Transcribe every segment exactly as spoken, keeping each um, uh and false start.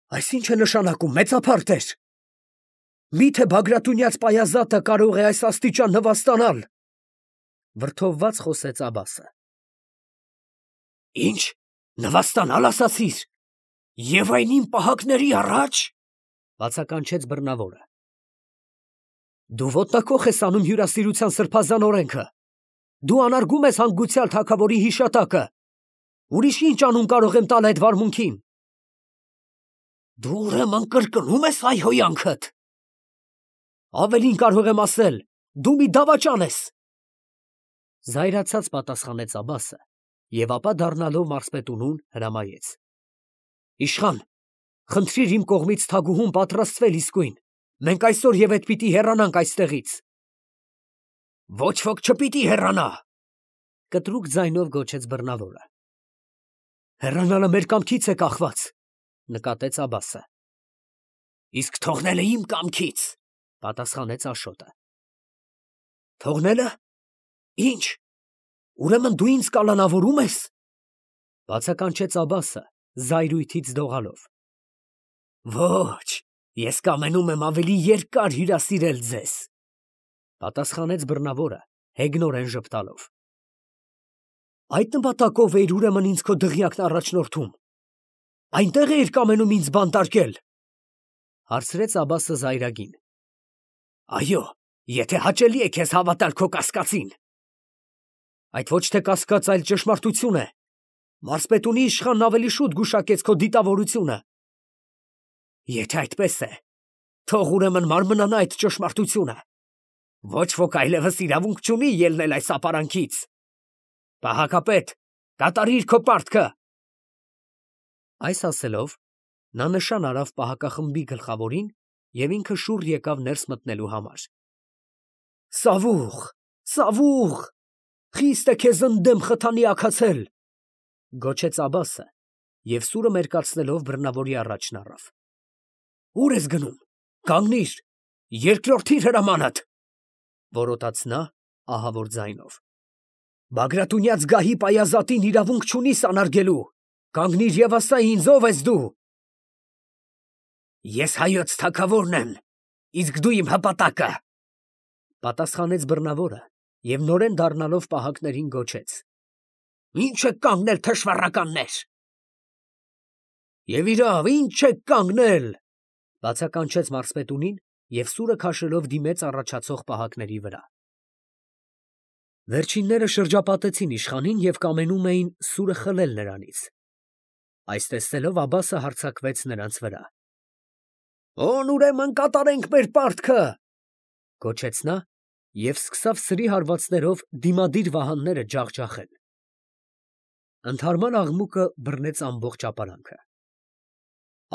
Այս ի՞նչ է նշանակում, մեծափարթեր։ Մի՞թե Բագրատունյաց պայազատը կարող է այս աստիճան նվաստանալ։ Վրդովված խոսեց Աբասը։ Ի՞նչ, նվաստանալ ասացիր, և այն իմ պահակների առաջ, բացականչեց բռնավորը։ Դու ոտնակոխ ես անում հյուրասիրության սրբազան օրենքը, դու անարգում ես հանգուցյալ թագավորի հիշատակը, ուրիշ ի՞նչ անուն կարող եմ տալ այդ վարմունքին։ Դու ուրեմն կրկնում ես հայհոյանքդ։ Ավելին կարող եմ ասել, դու մի դավաճան ես։ Զայրացած պատասխանեց Աբասը և ապա դառնալով մարզպետունուն հրամայեց. Իշխան, խնդրիր իմ կողմից թագուհուն պատրաստվել իսկույն, մենք այսօր և հետ պիտի հեռանանք այստեղից։ Ոչ ոք չպիտի հեռանա, կտրուկ ձայնով գոչեց բռնավորը։ Հեռանալը մեր կամքից է կախված, նկատեց Աբասը։ Իսկ թողնելը իմ կամքից, պատասխանեց Աշոտը։ Թողնելը։ Ինչ, ուրեմն դու ինձ կալանավորում ես, բացականչեց Աբասը զայրույթից դողալով։ Ոչ, ես կամենում եմ ավելի երկար հյուրասիրել ձեզ, պատասխանեց բռնավորը հեգնորեն ժպտալով։ Այդ նպատակով էիր ուրեմն ինձ քո դղյակն առաջնորդում, այնտեղ էիր կամենում ինձ բանտարկել, հարցրեց Աբասը զայրագին։ Այո, եթե հաճելի է քեզ հավատալ քո կասկածին։ Այդ ոչ թե կասկած, այլ ճշմարտություն է։ Մարզպետունի իշխանն ավելի շուտ գուշակեց քո դիտավորությունը։ Եթե այդպես է, թող ուրեմն մարմնանա այդ ճշմարտությունը։ Ոչ ոք այլևս իրավունք չունի ելնել այս ապարանքից։ Պահակապետ, կատարիր քո պարտքը։ Այս ասելով, նա նշան արավ պահակախմբի գլխավորին և ինքը շուռ եկավ ներս մտնելու համար։ Սավուղ, Սավուղ, խիստ է քեզ ընդդեմ խթանի աքացել, գոչեց Աբասը և սուրը մերկացնելով բռնավորի առաջն առավ։ Ուր ես գնում, կանգնիր, երկրորդիր հրամանդ, որոտաց նա ահավոր ձայնով։ Բագրատունյաց գահի պայազատին իրավունք չունիս անարգելու, կանգնիր և ասա ինձ, ով ես դու։ Ես հայոց թագավորն եմ, իսկ դու իմ հպատակը, պատասխանեց բռնավորը և նորեն դառնալով պահակներին գոչեց. Ի՞նչ եք կանգնել, թշվառականներ։ Եվ իրավ, ի՞նչ եք կանգնել, բացականչեց մարզպետունին և սուրը քաշելով դիմեց առաջացող պահակների վրա։ Վերջինները շրջապատեցին իշխանին և կամենում էին սուրը խլել նրանից։ Այս տեսնելով Աբասը հարձակվեց նրանց վրա։ Ո՞ւն ուրեմն կատարենք մեր պարտքը, գոչեց նա և սկսավ սրի հարվածներով դիմադիր վահանները ջախջախել։ Ընդհարման աղմուկը բռնեց ամբողջ ապարանքը։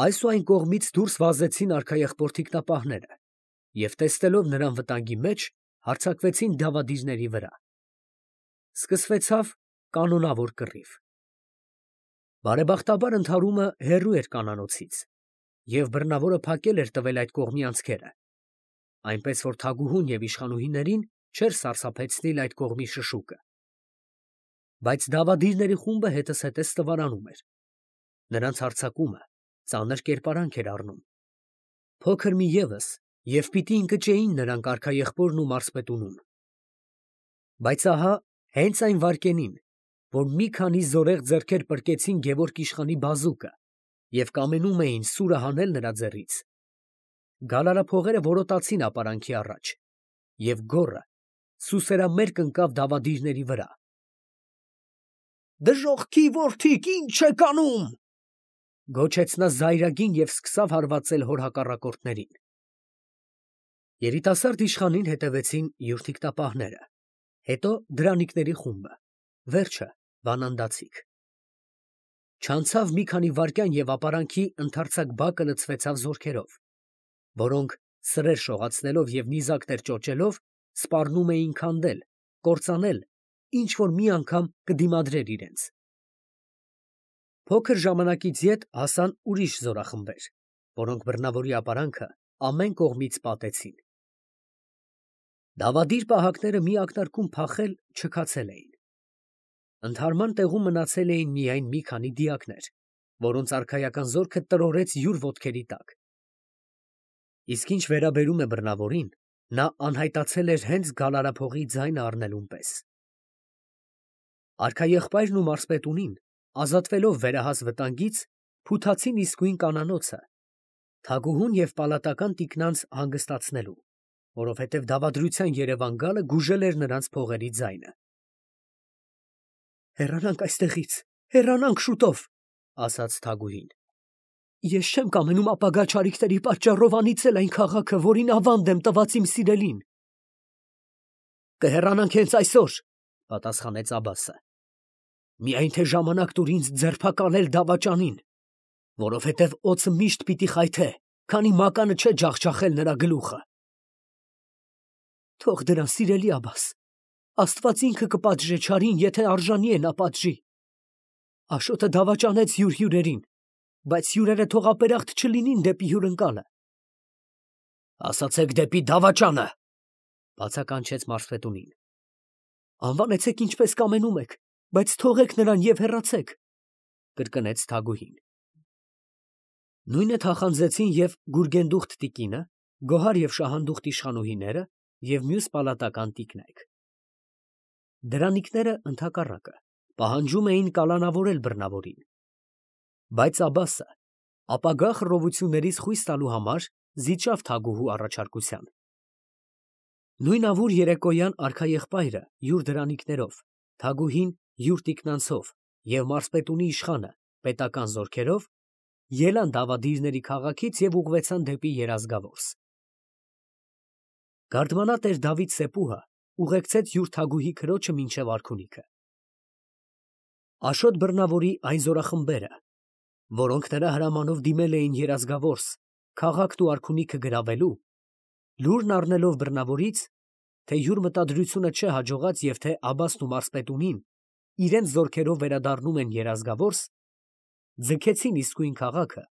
Այս ու այն կողմից դուրս վազեցին արքայախպոր թիկնապահները և տեսնելով նրան վտանգի մեջ, հարձակվեցին դավադիրների վրա։ Սկսվեցավ կանոնավոր կռիվ։ Բարեբախտաբար ընդհարումը հեռու էր կանանոցից, և բռնավորը փակել էր տվել այդ կողմի անցքերը, այնպես որ թագուհուն և իշխանուհիներին չէր սարսափեցնիլ այդ կողմի շշուկը։ Բայց դավադիրների խումբը հետզհետե ստվարանում էր։ Նրանց հարձակումը ծանր կերպարանք էր առնում։ Փոքր մի ևս, և պիտի ընկճեին նրանք արքայեղբորն ու մարզպետունուն։ Բայց ահա հենց այն վայրկենին, որ մի քանի զորեղ ձեռքեր պրկեցին Գևորգ իշխանի բազուկը և կամենում էին սուրը հանել նրա ձեռից, գալարափողերը որոտացին ապարանքի առաջ, և գոռը սուսերամերկ ընկավ դավադիրների վրա։ Դժոխքի որդիք, ի՞նչ եք անում, գոչեց նա զայրագին և սկսավ հարվածել հոր հակառակորդներին։ Երիտասարդ իշխանին հետևեցին յուր թիկնապահները, հետո դրանիկների խումբը, վերջը բանանդացիք։ Չանցավ մի քանի վայրկյան և ապարանքի ընդարձակ բակը լցվեցավ զորքերով, որոնք սրեր շողացնելով և նիզակներ ճոճելով սպառնում էին քանդել, կործանել, ինչ որ մի անգամ կդիմադրեր իրենց։ Փոքր ժամանակից ետ հասան ուրիշ զորախմբեր, որոնք բռնավորի ապարանքը ամեն կողմից պատեցին։ Դավադիր պահակները մի ակնարկում փախել չքացել էին։ Ընդհարման տեղում մնացել էին միայն մի քանի դիակներ, որոնց արքայական զորքը տրորեց յուր ոտքերի տակ։ Իսկ ինչ վերաբերում է բռնավորին, նա անհայտացել էր հենց գալարափողի ձայնը առնելուն պես։ Արքաեղբայրն ու մարզպետունին, ազատվելով վերահաս վտանգից, փութացին իսկույն կանանոցը, թագուհուն և պալատական տիկնանց հանգստացնելու, որովհետև դավադրության երևան գալը գուժել էր նրանց փողերի ձայնը։ «Հեռանանք այստեղից, հեռանանք շուտով», ասաց թագուհին։ «Ես չեմ կամենում ապագա չարիքների պատճառով անիծել այն քաղաքը, որին ավանդ եմ տված իմ սիրելին»։ «Կհեռանանք հենց այսօր», պատասխանեց Աբասը։ «Միայն թե ժամանակ տուր ինձ ձերբակալել դավաճանին, որովհետև օձը միշտ պիտի խայթե, քանի մականը չէ ջախջախել նրա գլուխը»։ «Թող դրան, սիրելի Աբաս, Աստված ինքը կպատժե չարին, եթե արժանի է նա պատժի։ Աշոտը դավաճանեց յուր հյուրերին, բայց հյուրերը թող ապերախտ չլինին դեպի հյուրընկալը»։ «Ասացեք դեպի դավաճանը», բացականչեց մարզպետունին։ «Անվանեցեք ինչպես կամենում եք, բայց թողեք նրան և հեռացեք», կրկնեց թագուհին։ Նույնը թախանձեցին և Գուրգենդուխտ տիկինը, Գոհար և Շահանդուխտ իշխանուհիները և մյուս պալատական տիկնայք։ Դրանիկները, ընդհակառակը, պահանջում էին կալանավորել բռնավորին։ Բայց Աբասը, ապագա խռովություններից խույս տալու համար, զիջավ թագուհու առաջարկության։ Նույն ավուր երեկոյան արքաեղբայրը յուր դրանիկներով, թագուհին յուր տիկնանցով և մարզպետունի իշխանը պետական զորքերով ելան Դավադիրների քաղաքից և ուղղվեցան դեպի Երազգավորս։ Գարդմանատեր Դավիթ Սեփուհը ուղեկցեց յուր թագուհի քրոջը մինչև արքունիքը։ Աշոտ բռնավորի այն զորախմբերը, որոնք նրա հրամանով դիմել էին Երազգավորս քաղաքն ու արքունիքը գրավելու, լուրն առնելով բռնավորից, թե յուր մտադրությունը չհաջողած և թե Աբասն ու մարզպետունին իրենց զորքերով վերադառնում են Երազգավորս, ձգեցին իսկույն քաղաքը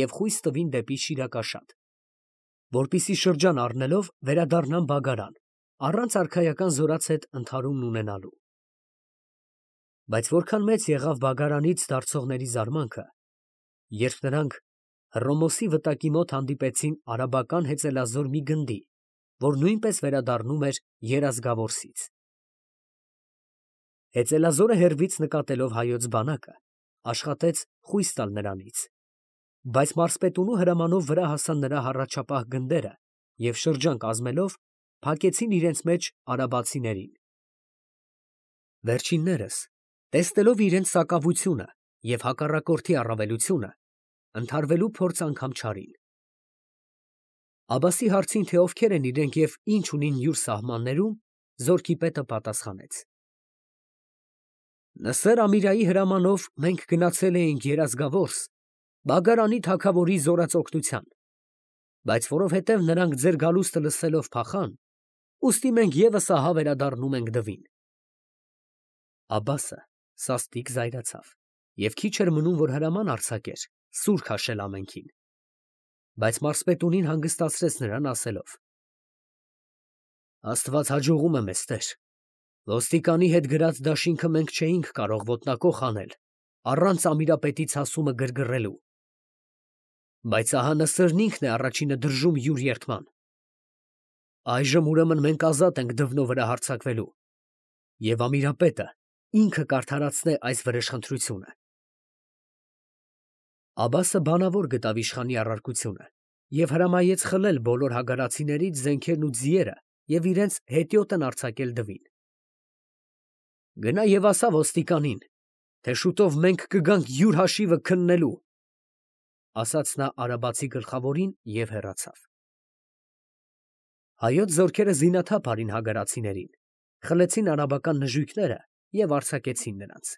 և խույս տվին դեպի Շիրակաշատ, որպեսզի շրջան առնելով վերադառնան Բագարան, առանց արքայական զորաց հետ ընդհարումն ունենալու։ Բայց որքան մեծ եղավ Բագարանից դարձողների զարմանքը, երբ նրանք Հռոմոսի վտակի մոտ հանդիպեցին արաբական հեծելազոր մի գնդի, որ նույնպես վերադառնում էր Երազգավորսից։ Հեծելազորը հեռվից նկատելով հայոց բանակը, աշխատեց խույս տալ նրանից, բայց մարզպետունու հրամանով վրա հասան նրա հառաջապահ գնդերը և շրջան կազմելով փակեցին իրենց մեջ արաբացիներին։ Վերջիններս, տեսնելով իրենց սակավությունը և հակառակորդի առավելությունը, ընդհարվելու փորձ անգամ չարին։ Աբասի հարցին, թե ովքեր են իրենք և ինչ ունին յուր սահմաններում, զորքի պետը պատասխանեց. «Նսեր Ամիրայի հրամանով մենք գնացել էինք Երազգավորս Բագարանի թագավորի զորածօգնության, բայց որովհետև նրանք ձեր գալուստը լսելով փախան, ուստի մենք ևս ահա վերադառնում ենք Դվին»։ Աբասը սաստիկ զայրացավ և քիչ էր մնում, որ հրաման արձակեր սուր քաշել ամենքին, բայց մարզպետունին հանգստացրեց նրան ասելով. «Աստված հաջողում է մեզ, տեր, ոստիկանի հետ գրած դաշինքը մենք չէինք կարող ոտնակոխ անել առանց ամիրապետի ցասումը գրգռելու, բայց ահա Նսրն ինքն է առաջինը դրժում յուր երդման։ Այժմ ուրեմն մենք ազատ ենք Դվնո վրա հարձակվելու, և ամիրապետը ինքը կարդարացնե այս վրեժխնդրությունը»։ Աբասը բանավոր գտավ իշխանի առարկությունը և հրամայեց խլել բոլոր հագարացիներից զենքերն ու ձիերը և իրենց հետիոտն արձակել Դվին։ «Գնա և ասա ոստիկանին, թե շուտով մենք կգանք յուր հաշիվը քննելու», ասաց նա արաբացի գլխավորին և հեռացավ։ Հայոց զորքերը զինաթափ արին հագարացիներին, խլեցին արաբական նժույգները և արձակեցին նրանց։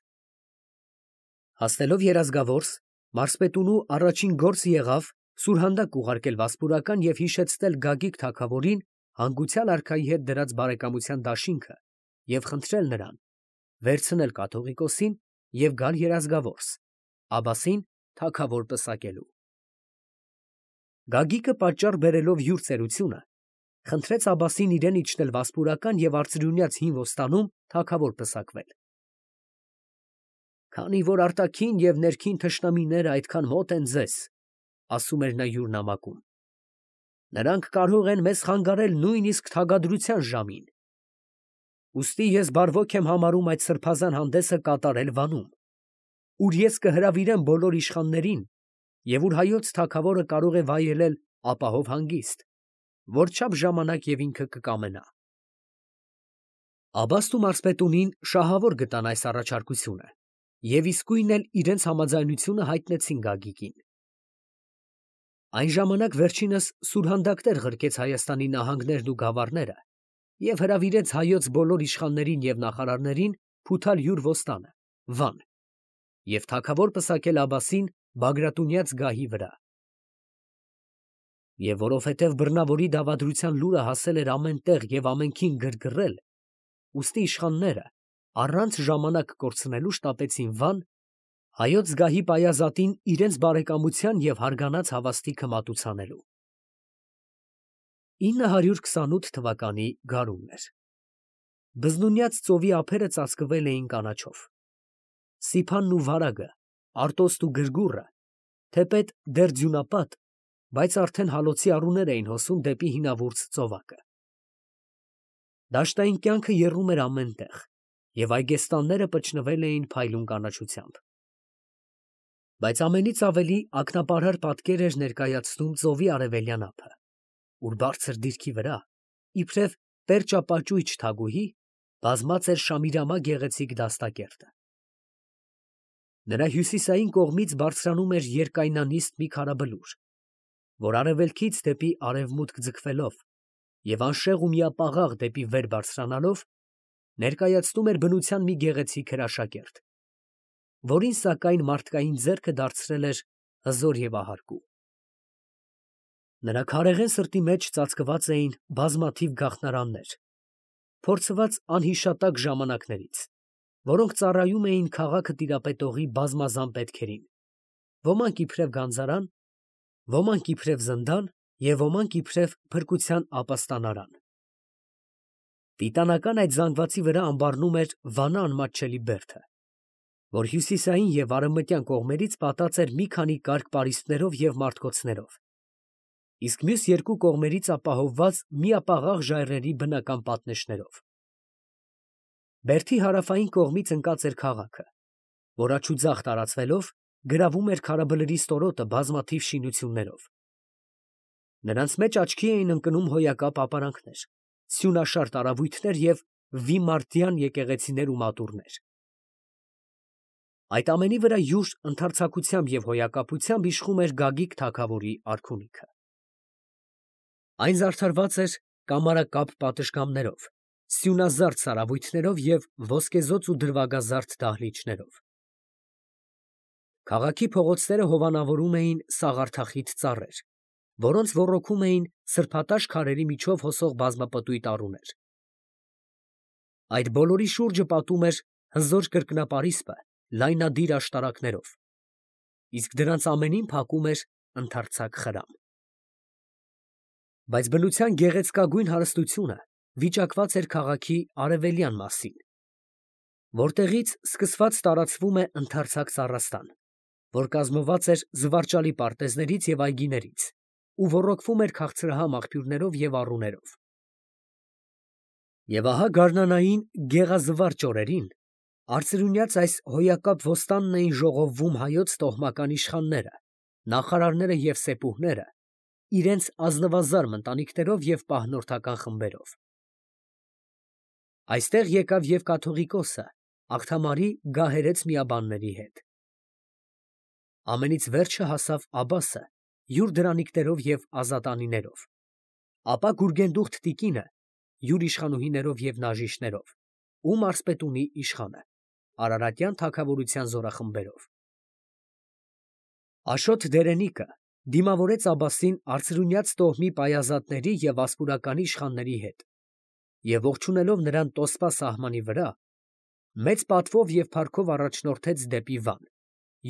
Հասնելով Երազգավորս, մարզպետունու առաջին գործը եղավ սուրհանդակ ուղարկել վասպուրական և հիշեցնել Գագիկ թագավորին հանգուցյալ արքայի հետ դրած բարեկամության դաշինքը և խնդրել նրան վերցնել կաթողիկոսին և գալ Երազգավորս, Աբասին թագավոր պսակելու։ Գագիկը պատճառ բերելով յուր ծերությունը, խնդրեց Աբասին իրեն իջնել վասպուրական և արծրյունյաց հին ոստանում թագավոր պսակվել։ Քանի որ արտաքին և ներքին թշնամիները այդքան մոտ են ձեզ, ասում էր նա յուր նամակում, նրանք կարող են մեզ խանգարել նույնիսկ թագադրության ժամին. ուստի ես բարվոք եմ համարում այդ սրբազան հանդեսը կատարել Վանում, ուր ես կհրավիրեմ բոլոր իշխաններին և ուր հայոց թագավորը կարող է վայելել ապահով հանգիստ, որչափ ժամանակ և ինքը կկամենա։ Աբբասն ու մարզպետունին շահավոր գտան այս առաջարկությունը և իսկույն էլ իրենց համաձայնությունը հայտնեցին Գագիկին։ Այն ժամանակ վերջինս սուրհանդակներ ղրկեց Հայաստանի նահանգներն ու գավառները և հրավիրեց հայոց բոլոր իշխաններին և նախարարներին փութալ յուր ոստանը, Վան, և թագավոր պսակել Աբբասին Բագրատունյաց գահի վրա։ Եվ որովհետև բռնավորի դավադրության լուրը հասել էր ամեն տեղ և ամենքին գրգռել, ուստի իշխանները առանց ժամանակ կորցնելու շտապեցին Վան, հայոց գահի պայազատին իրենց բարեկամության և հարգանած հավաստիքը մատուցանելու։ ինը հարյուր քսանութ թվականի գարունն էր։ Բզնունյաց ծովի ափերը ծածկվել էին կանաչով։ Սիփանն ու վարագը, Արտոստ ու Գրգուռը, թեպետ դեռ ձյունապատ, բայց արդեն հալոցի առուներ էին հոսում դեպի հինավուրց ծովակը։ Դաշտային կյանքը եռում էր ամեն տեղ, և այգեստանները պճնվել էին փայլուն կանաչությամբ։ Բայց ամենից ավելի ակնապարար պատկեր էր ներկայացնում ծովի արևելյան ափը, ուր բարձր դիրքի վրա, իբրև պերճապաճույճ թագուհի, բազմած էր Շամիրամա գեղեցիկ դաստակերտը։ Նրա հյուսիսային կողմից բարձրանում էր երկայնանիստ մի քարաբլուր, որ արևելքից դեպի արևմուտք ձգվելով և անշեղ ու միապաղաղ դեպի վեր բարձրանալով, ներկայացնում էր բնության մի գեղեցիկ հրաշագերտ, որին սակայն մարդկային ձեռքը դարձրել էր հզոր և ահարկու։ Նրա քարեղեն սրտի մեջ ծածկված էին բազմաթիվ գաղտնարաններ, փորձված անհիշատակ ժամանակներից, որոնք ծառայում էին քաղաքը տիրապետողի բազմազան պետքերին, ոմանք իբրև գանձարան, ոմանք իբրև զնդան և ոմանք իբրև փրկության ապաստանարան։ Տիտանական այդ զանգվածի վրա ամբարնում էր Վանա անմատչելի բերդը, որ հյուսիսային և արևմտյան կողմերից պատած էր մի քանի կարգ պարիսպներով և մարտկոցներով, իսկ մյուս երկու կողմերից ապահովված միապաղաղ ժայռերի բնական պատնեշներով։ Բերդի հարավային կողմից ընկած էր քաղաքը, որ աջուձախ տարածվելով գրավում էր քարաբլրի ստորոտը բազմաթիվ շինություններով։ Նրանց մեջ աչքի էին ընկնում հոյակապ ապարանքներ, սյունաշար տարավույթներ և վիմարտյան եկեղեցիներ ու մատուռներ։ Այդ ամենի վրա յուր ընդարձակությամբ և հոյակապությամբ իշխում էր Գագիկ թագավորի արքունիքը։ Այն զարդարված էր կամարակապ պատշգամբներով, սյունազարդ սարավույթներով և ոսկեզօծ ու դրվագազարդ դահլիճներով։ Քաղաքի փողոցները հովանավորում էին սաղարթախիտ ծառեր, որոնց ոռոգում էին սրբատաշ քարերի միջով հոսող բազմապտույտ առուներ։ Այդ բոլորի շուրջը պատում էր հզոր կրկնապարիսպը լայնադիր աշտարակներով, իսկ դրանց ամենին փակում էր ընդարձակ խրամ։ Բայց բնության գեղեցկագույն հարստությունը վիճակված էր քաղաքի արևելյան մասին, որտեղից սկսված տարածվում է ընդարձակ սառաստան, որ կազմված էր զվարճալի պարտեզներից և այգիներից ու ոռոգվում էր քաղցրահամ աղբյուրներով և առուներով։ Եվ ահա գարնանային գեղազվարճ օրերին արծրունյաց այս հոյակապ ոստանն էին ժողովվում հայոց տոհմական իշխանները, նախարարները և սեպուհները իրենց ազնվազարմ ընտանիքներով և պահնորդական խմբերով։ Այստեղ եկավ և կաթողիկոսը Աղթամարի գահերեց միաբանների հետ։ Ամենից վերջը հասավ Աբբասը յուր դրանիկներով և ազատանիներով, ապա Գուրգենդուխտ տիկինը յուր իշխանուհիներով և նաժիշներով ու մարզպետունի իշխանը արարատյան թագավորության զորախմբերով։ Աշոտ դերենիկը դիմավորեց Աբբասին արծրունյաց տոհմի պայազատների և վասպուրականի իշխանների հետ և ողջունելով նրան Տոսպա սահմանի վրա, մեծ պատվով և փառքով առաջնորդեց դեպի Վան,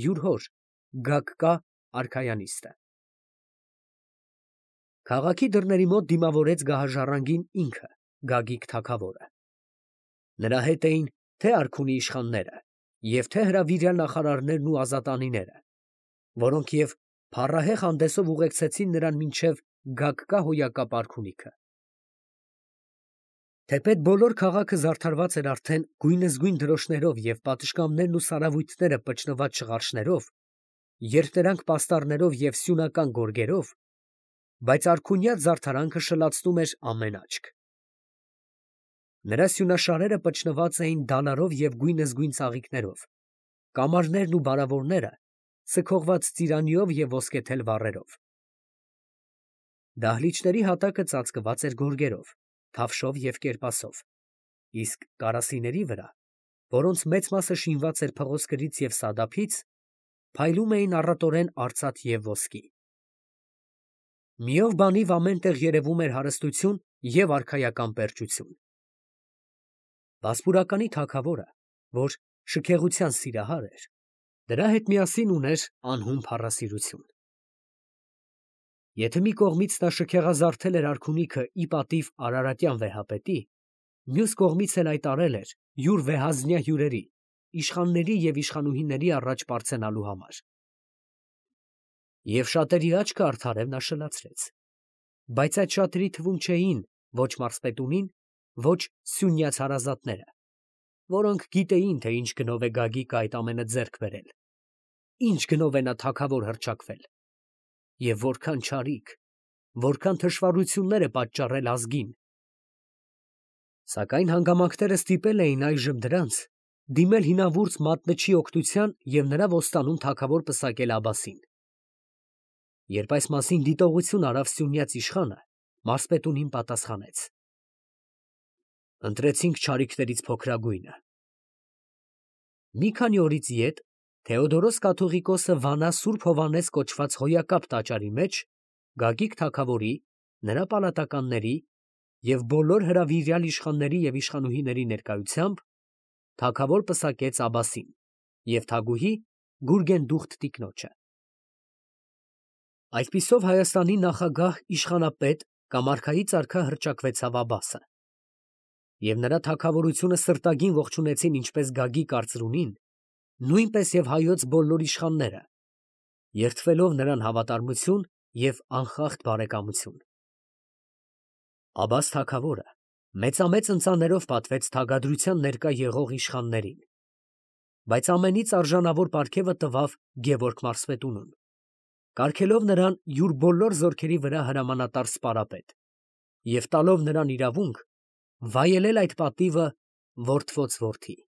յուր հոր Գագկա արքայանիստը։ Քաղաքի դռների մոտ դիմավորեց գահաժառանգին ինքը, Գագիկ թագավորը։ Նրա հետ էին թե՛ արքունի իշխանները և թե հրավիրյալ նախարարներն ու ազատանիները, որոնք և փառահեղ հանդեսով ուղեկցեցին նրան մինչև Գագկա հոյակապ արքունիքը։ Թեպետ բոլոր քաղաքը զարդարված էր արդեն գույնզգույն դրոշներով և պատշգամբներն ու սարավույթները պճնված շղարշներով, երթերանք պաստառներով և սյունական գորգերով, բայց արքունյաց զարդարանքը շլացնում էր ամեն աչք։ Նրա սյունաշարերը պճնված էին դալարով և գույնզգույն ծաղիկներով, կամարներն ու բարավորները սքողված ծիրանիով և ոսկեթել վառերով։ Դահլիճների հատակը ծածկված էր գորգերով, թավշով և կերպասով, իսկ կարասիների վրա, որոնց մեծ մասը շինված էր փղոսկրից և սադափից, փայլում էին առատորեն արծաթ և ոսկի։ Միով բանիվ ամեն տեղ երևում էր հարստություն և արքայական պերճություն։ Վասպուրականի թագավորը, որ շքեղության սիրահար էր, դրա հետ միասին ուներ անհուն փառասիրություն։ Եթե մի կողմից նա շքեղազարդել էր արքունիքը ի պատիվ արարատյան վեհապետի, մյուս կողմից էլ այդ արել էր յուր վեհազնյա հյուրերի, իշխանների և իշխանուհիների առաջ պարծենալու համար։ Եվ շատերի աչքը արդարև նա շլացրեց, բայց այդ շատերի թվում չէին ոչ մարզպետունին, ոչ սյունյաց հարազատները, որոնք գիտեին, թե ինչ գնով է Գագիկը այդ ամենը ձեռք բերել, ինչ գնով է նա թագավոր հռչակվել, և որքան չարիք, որքան թշվառություններ է պատճառել ազգին։ Սակայն հանգամանքները ստիպել էին այժմ դրանց դիմել հինավուրց մատնչի օգնության և նրա ոստանում թագավոր պսակել Աբասին։ Երբ այս մասին դիտողություն արավ սյունյաց իշխանը, մարզպետունին պատասխանեց. «Ընտրեցինք չարիքներից փոքրագույնը»։ Մի քանի օրից ետ Թեոդորոս կաթողիկոսը վանա Սուրբ Հովհաննես կոչված հոյակապ տաճարի մեջ Գագիկ թագավորի, նրա պալատականների և բոլոր հրավիրյալ իշխանների և իշխանուհիների ներկայությամբ թագավոր պսակեց Աբասին և թագուհի Գուրգենդուխտ տիկնոջը։ Այսպիսով Հայաստանի նախագահ իշխանապետ կամ արքայից արքա հռչակվեցավ Աբասը, և նրա թագավորությունը սրտագին ողջունեցին ինչպես Գագիկ արծրունին, նույնպես և հայոց բոլոր իշխանները, երդվելով նրան հավատարմություն և անխախտ բարեկամություն։ Աբաս թագավորը մեծամեծ ընծաներով պատվեց թագադրության ներկա եղող իշխաններին, բայց ամենից արժանավոր պարգևը տվավ Գևորգ մարզպետունուն, կարգելով նրան յուր բոլոր զորքերի վրա հրամանատար սպարապետ և տալով նրան իրավունք վայելել այդ պատիվը որդվոց որդի։